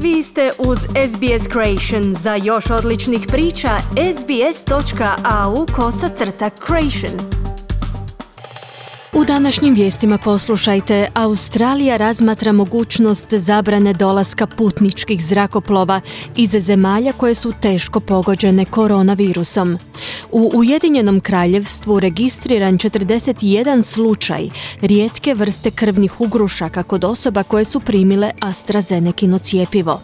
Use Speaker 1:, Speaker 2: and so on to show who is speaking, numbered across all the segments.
Speaker 1: Vi ste uz SBS Creation. Za još odličnih priča, sbs.au/creation. U današnjim vijestima poslušajte, Australija razmatra mogućnost zabrane dolaska putničkih zrakoplova iz zemalja koje su teško pogođene koronavirusom. U Ujedinjenom kraljevstvu registriran 41 slučaj rijetke vrste krvnih ugrušaka kod osoba koje su primile AstraZenecino cjepivo.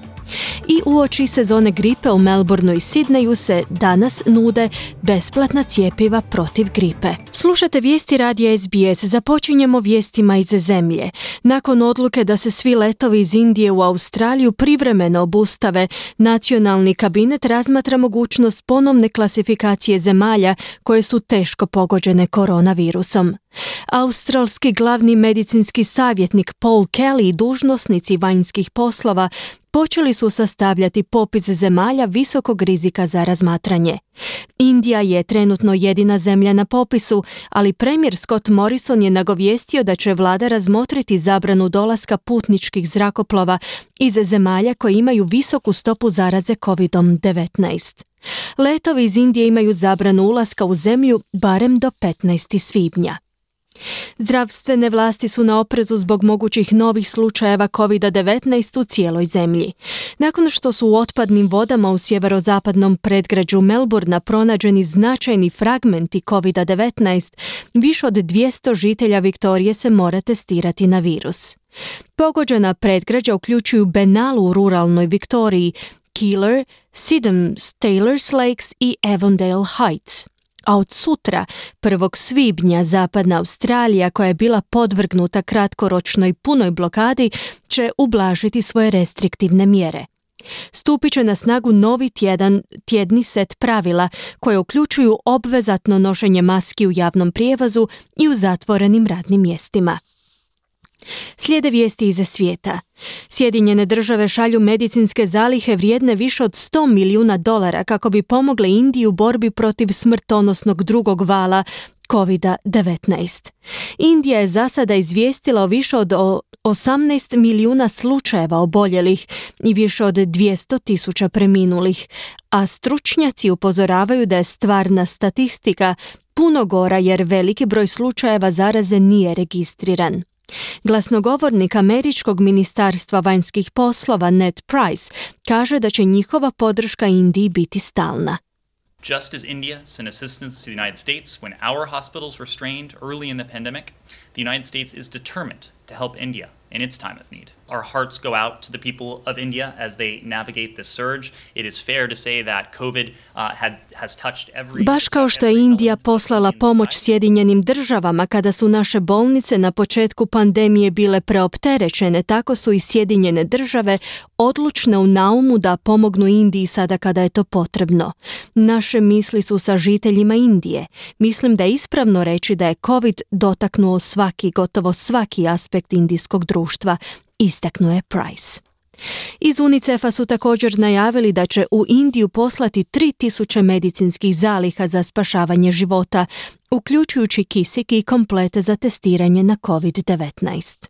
Speaker 1: I uoči sezone gripe u Melbourneu i Sidneju se danas nude besplatna cjepiva protiv gripe. Slušate vijesti radija SBS. Započinjemo vijestima iz zemlje. Nakon odluke da se svi letovi iz Indije u Australiju privremeno obustave, nacionalni kabinet razmatra mogućnost ponovne klasifikacije zemalja koje su teško pogođene koronavirusom. Australski glavni medicinski savjetnik Paul Kelly i dužnosnici vanjskih poslova počeli su sastavljati popis zemalja visokog rizika za razmatranje. Indija je trenutno jedina zemlja na popisu, ali premijer Scott Morrison je nagovijestio da će vlada razmotriti zabranu dolaska putničkih zrakoplova iz zemalja koje imaju visoku stopu zaraze COVID-19. Letovi iz Indije imaju zabranu ulaska u zemlju barem do 15. svibnja. Zdravstvene vlasti su na oprezu zbog mogućih novih slučajeva COVID-19 u cijeloj zemlji. Nakon što su u otpadnim vodama u sjeverozapadnom predgrađu Melbournea pronađeni značajni fragmenti COVID-19, više od 200 žitelja Viktorije se mora testirati na virus. Pogođena predgrađa uključuju Benalu u ruralnoj Viktoriji, Keeler, Sydenham, Taylors Lakes i Avondale Heights. A od sutra, 1. svibnja, zapadna Australija, koja je bila podvrgnuta kratkoročnoj punoj blokadi, će ublažiti svoje restriktivne mjere. Stupit će na snagu novi tjedni set pravila koje uključuju obvezatno nošenje maski u javnom prijevozu i u zatvorenim radnim mjestima. Slijede vijesti iz svijeta. Sjedinjene države šalju medicinske zalihe vrijedne više od $100 milijuna kako bi pomogle Indiji u borbi protiv smrtonosnog drugog vala COVID-19. Indija je za sada izvijestila o više od 18 milijuna slučajeva oboljelih i više od 200.000 preminulih, a stručnjaci upozoravaju da je stvarna statistika puno gora jer veliki broj slučajeva zaraze nije registriran. Glasnogovornik Američkog ministarstva vanjskih poslova Ned Price kaže da će njihova podrška Indiji biti stalna.
Speaker 2: Just as India sent assistance to the United States when our hospitals were strained early in the pandemic, the United States is determined to help India in its time of need. Our hearts go out to the people of India as they navigate this surge. It is fair to say that COVID has touched every...
Speaker 1: Baš kao što je Indija poslala pomoć Sjedinjenim državama kada su naše bolnice na početku pandemije bile preopterećene, tako su i Sjedinjene države odlučne u naumu da pomognu Indiji sada kada je to potrebno. Naše misli su sa žiteljima Indije. Mislim da je ispravno reći da je COVID dotaknuo gotovo svaki aspekt indijskog društva, istaknuo je Price. Iz UNICEF-a su također najavili da će u Indiju poslati 3.000 medicinskih zaliha za spašavanje života, uključujući kisik i komplete za testiranje na COVID-19.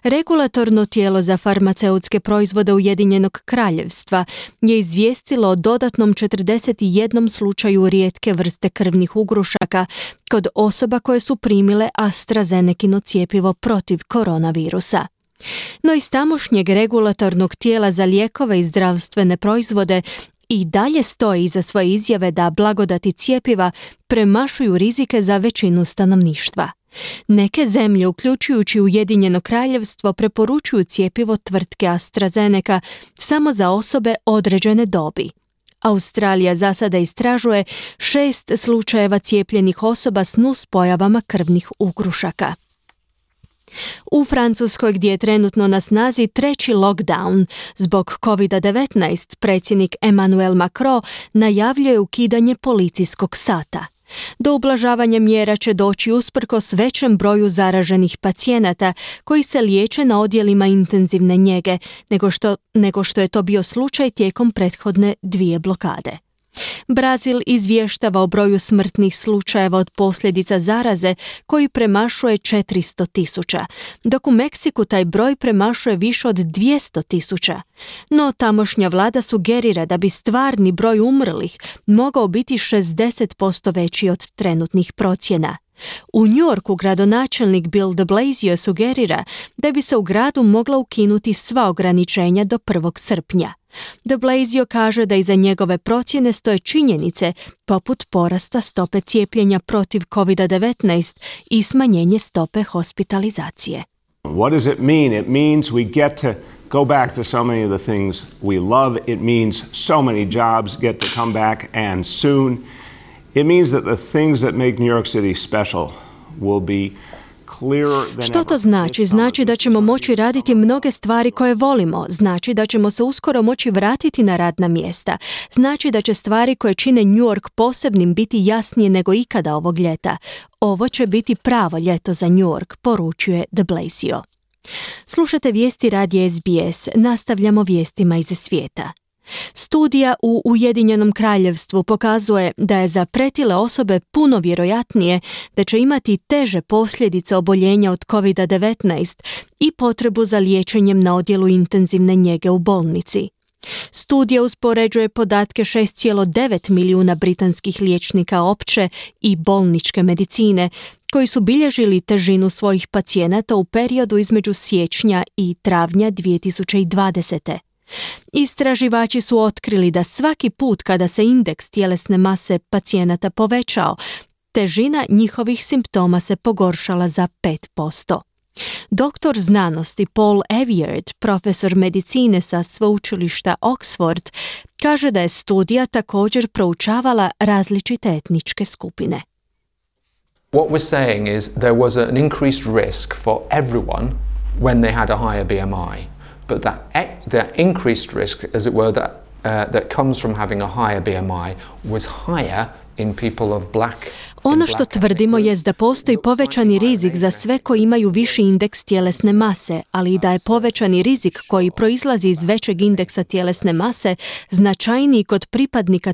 Speaker 1: Regulatorno tijelo za farmaceutske proizvode Ujedinjenog kraljevstva je izvijestilo o dodatnom 41 slučaju rijetke vrste krvnih ugrušaka kod osoba koje su primile AstraZenecino cjepivo protiv koronavirusa. No iz tamošnjeg regulatornog tijela za lijekove i zdravstvene proizvode i dalje stoji iza svoje izjave da blagodati cjepiva premašuju rizike za većinu stanovništva. Neke zemlje, uključujući Ujedinjeno kraljevstvo, preporučuju cjepivo tvrtke AstraZeneca samo za osobe određene dobi. Australija za sada istražuje 6 slučajeva cijepljenih osoba s nuspojavama krvnih ugrušaka. U Francuskoj, gdje je trenutno na snazi 3. lockdown zbog COVID-19, predsjednik Emmanuel Macron najavljuje ukidanje policijskog sata. Do ublažavanja mjera će doći usprkos većem broju zaraženih pacijenata koji se liječe na odjelima intenzivne njege nego što je to bio slučaj tijekom prethodne 2 blokade. Brazil izvještava o broju smrtnih slučajeva od posljedica zaraze koji premašuje 400.000, dok u Meksiku taj broj premašuje više od 200.000. No tamošnja vlada sugerira da bi stvarni broj umrlih mogao biti 60% veći od trenutnih procjena. U New Yorku gradonačelnik Bill de Blasio sugerira da bi se u gradu mogla ukinuti sva ograničenja do 1. srpnja. De Blasio kaže da iza njegove procjene stoje činjenice poput porasta stope cijepljenja protiv COVID-19 i smanjenje stope hospitalizacije.
Speaker 3: What does it mean? It means we get to go back to so many of the things we love. It means so many jobs get to come back and soon. It means that the things that make New York City special will be clearer than ever.
Speaker 1: Što to znači? Znači da ćemo moći raditi mnoge stvari koje volimo. Znači da ćemo se uskoro moći vratiti na radna mjesta. Znači da će stvari koje čine New York posebnim biti jasnije nego ikada ovog ljeta. Ovo će biti pravo ljeto za New York, poručuje de Blasio. Slušate vijesti radija SBS. Nastavljamo vijestima iz svijeta. Studija u Ujedinjenom Kraljevstvu pokazuje da je za pretile osobe puno vjerojatnije da će imati teže posljedice oboljenja od COVID-19 i potrebu za liječenjem na odjelu intenzivne njege u bolnici. Studija uspoređuje podatke 6,9 milijuna britanskih liječnika opće i bolničke medicine koji su bilježili težinu svojih pacijenata u periodu između siječnja i travnja 2020. Istraživači su otkrili da svaki put kada se indeks tjelesne mase pacijenata povećao, težina njihovih simptoma se pogoršala za 5%. Doktor znanosti Paul Eviard, profesor medicine sa sveučilišta Oxford, kaže da je studija također proučavala različite etničke skupine.
Speaker 4: What we're saying is there was an increased risk for everyone when they had a higher BMI. But that increased risk, as it were, that comes from having a higher BMI was higher in people of black.
Speaker 1: Ono što tvrdimo je da postoji povećani rizik za sve koji imaju viši indeks tjelesne mase, ali i da je povećani rizik koji proizlazi iz većeg indeksa tjelesne mase značajniji kod pripadnika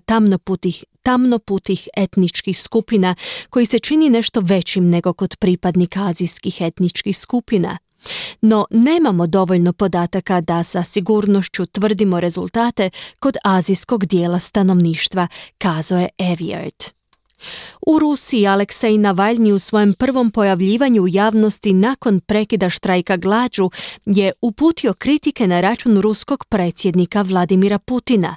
Speaker 1: tamnoputih etničkih skupina, koji se čini nešto većim nego kod pripadnika azijskih etničkih skupina. No, nemamo dovoljno podataka da sa sigurnošću tvrdimo rezultate kod azijskog dijela stanovništva, kazao je Eviard. U Rusiji Aleksej Navalni u svojem prvom pojavljivanju u javnosti nakon prekida štrajka glađu je uputio kritike na račun ruskog predsjednika Vladimira Putina.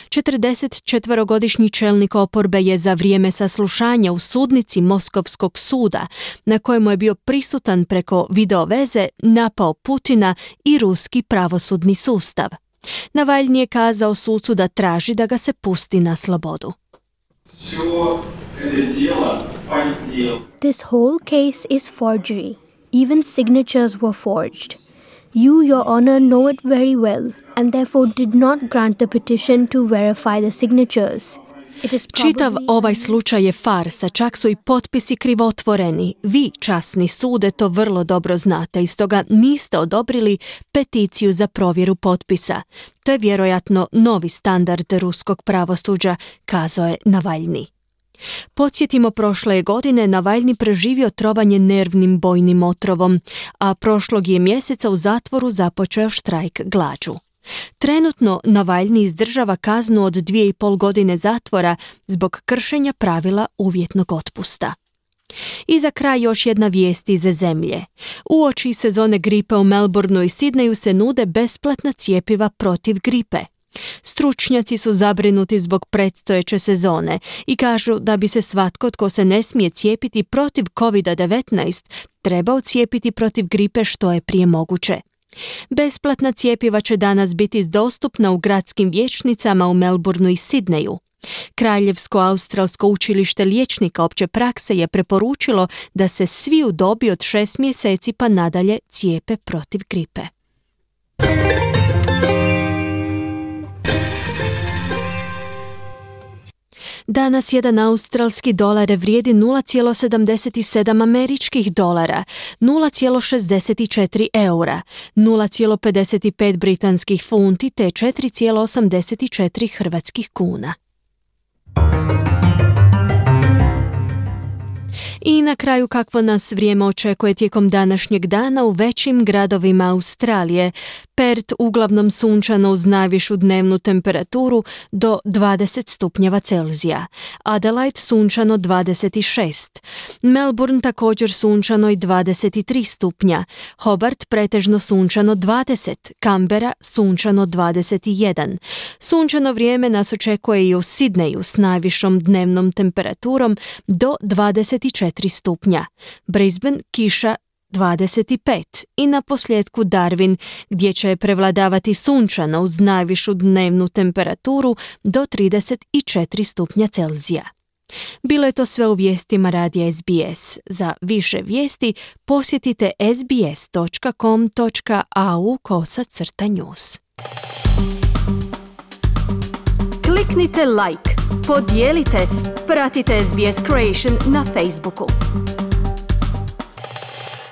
Speaker 1: 44-godišnji čelnik oporbe je za vrijeme saslušanja u sudnici Moskovskog suda, na kojemu je bio prisutan preko videoveze, napao Putina i ruski pravosudni sustav. Navalni je kazao sucu da traži da ga se pusti na slobodu.
Speaker 5: This whole case is forgery. Even signatures were forged. You, Your Honor, know it very well, and therefore did not grant the petition to verify the signatures.
Speaker 1: Čitav ovaj slučaj je farsa, čak su i potpisi krivotvoreni. Vi, časni sude, to vrlo dobro znate i stoga niste odobrili peticiju za provjeru potpisa. To je vjerojatno novi standard ruskog pravosuđa, kazao je Navalni. Podsjetimo, prošle je godine Navalni preživio trovanje nervnim bojnim otrovom, a prošlog je mjeseca u zatvoru započeo štrajk glađu. Trenutno Navalni izdržava kaznu od 2,5 godine zatvora zbog kršenja pravila uvjetnog otpusta. I za kraj još jedna vijest iz zemlje. Uoči sezone gripe u Melbourneu i Sidneju se nude besplatna cjepiva protiv gripe. Stručnjaci su zabrinuti zbog predstojeće sezone i kažu da bi se svatko tko se ne smije cijepiti protiv COVID-19 trebao cijepiti protiv gripe što je prije moguće. Besplatna cjepiva će danas biti dostupna u gradskim vijećnicama u Melbourneu i Sidneju. Kraljevsko australsko učilište liječnika opće prakse je preporučilo da se svi u dobi od 6 mjeseci pa nadalje cijepe protiv gripe. Danas jedan australski dolar vrijedi 0,77 američkih dolara, 0,64 eura, 0,55 britanskih funti te 4,84 hrvatskih kuna. I na kraju kakvo nas vrijeme očekuje tijekom današnjeg dana u većim gradovima Australije. Perth uglavnom sunčano uz najvišu dnevnu temperaturu do 20 stupnjeva Celzija. Adelaide sunčano 26. Melbourne također sunčano i 23 stupnja. Hobart pretežno sunčano 20. Canberra sunčano 21. Sunčano vrijeme nas očekuje i u Sidneju s najvišom dnevnom temperaturom do 24 stupnja. Brisbane kiša 25 i na posljedku Darwin gdje će prevladavati sunčano uz najvišu dnevnu temperaturu do 34 stupnja Celzija. Bilo je to sve u vijestima radija SBS. Za više vijesti posjetite sbs.com.au/news. Kliknite like, podijelite, pratite SBS Creation na Facebooku.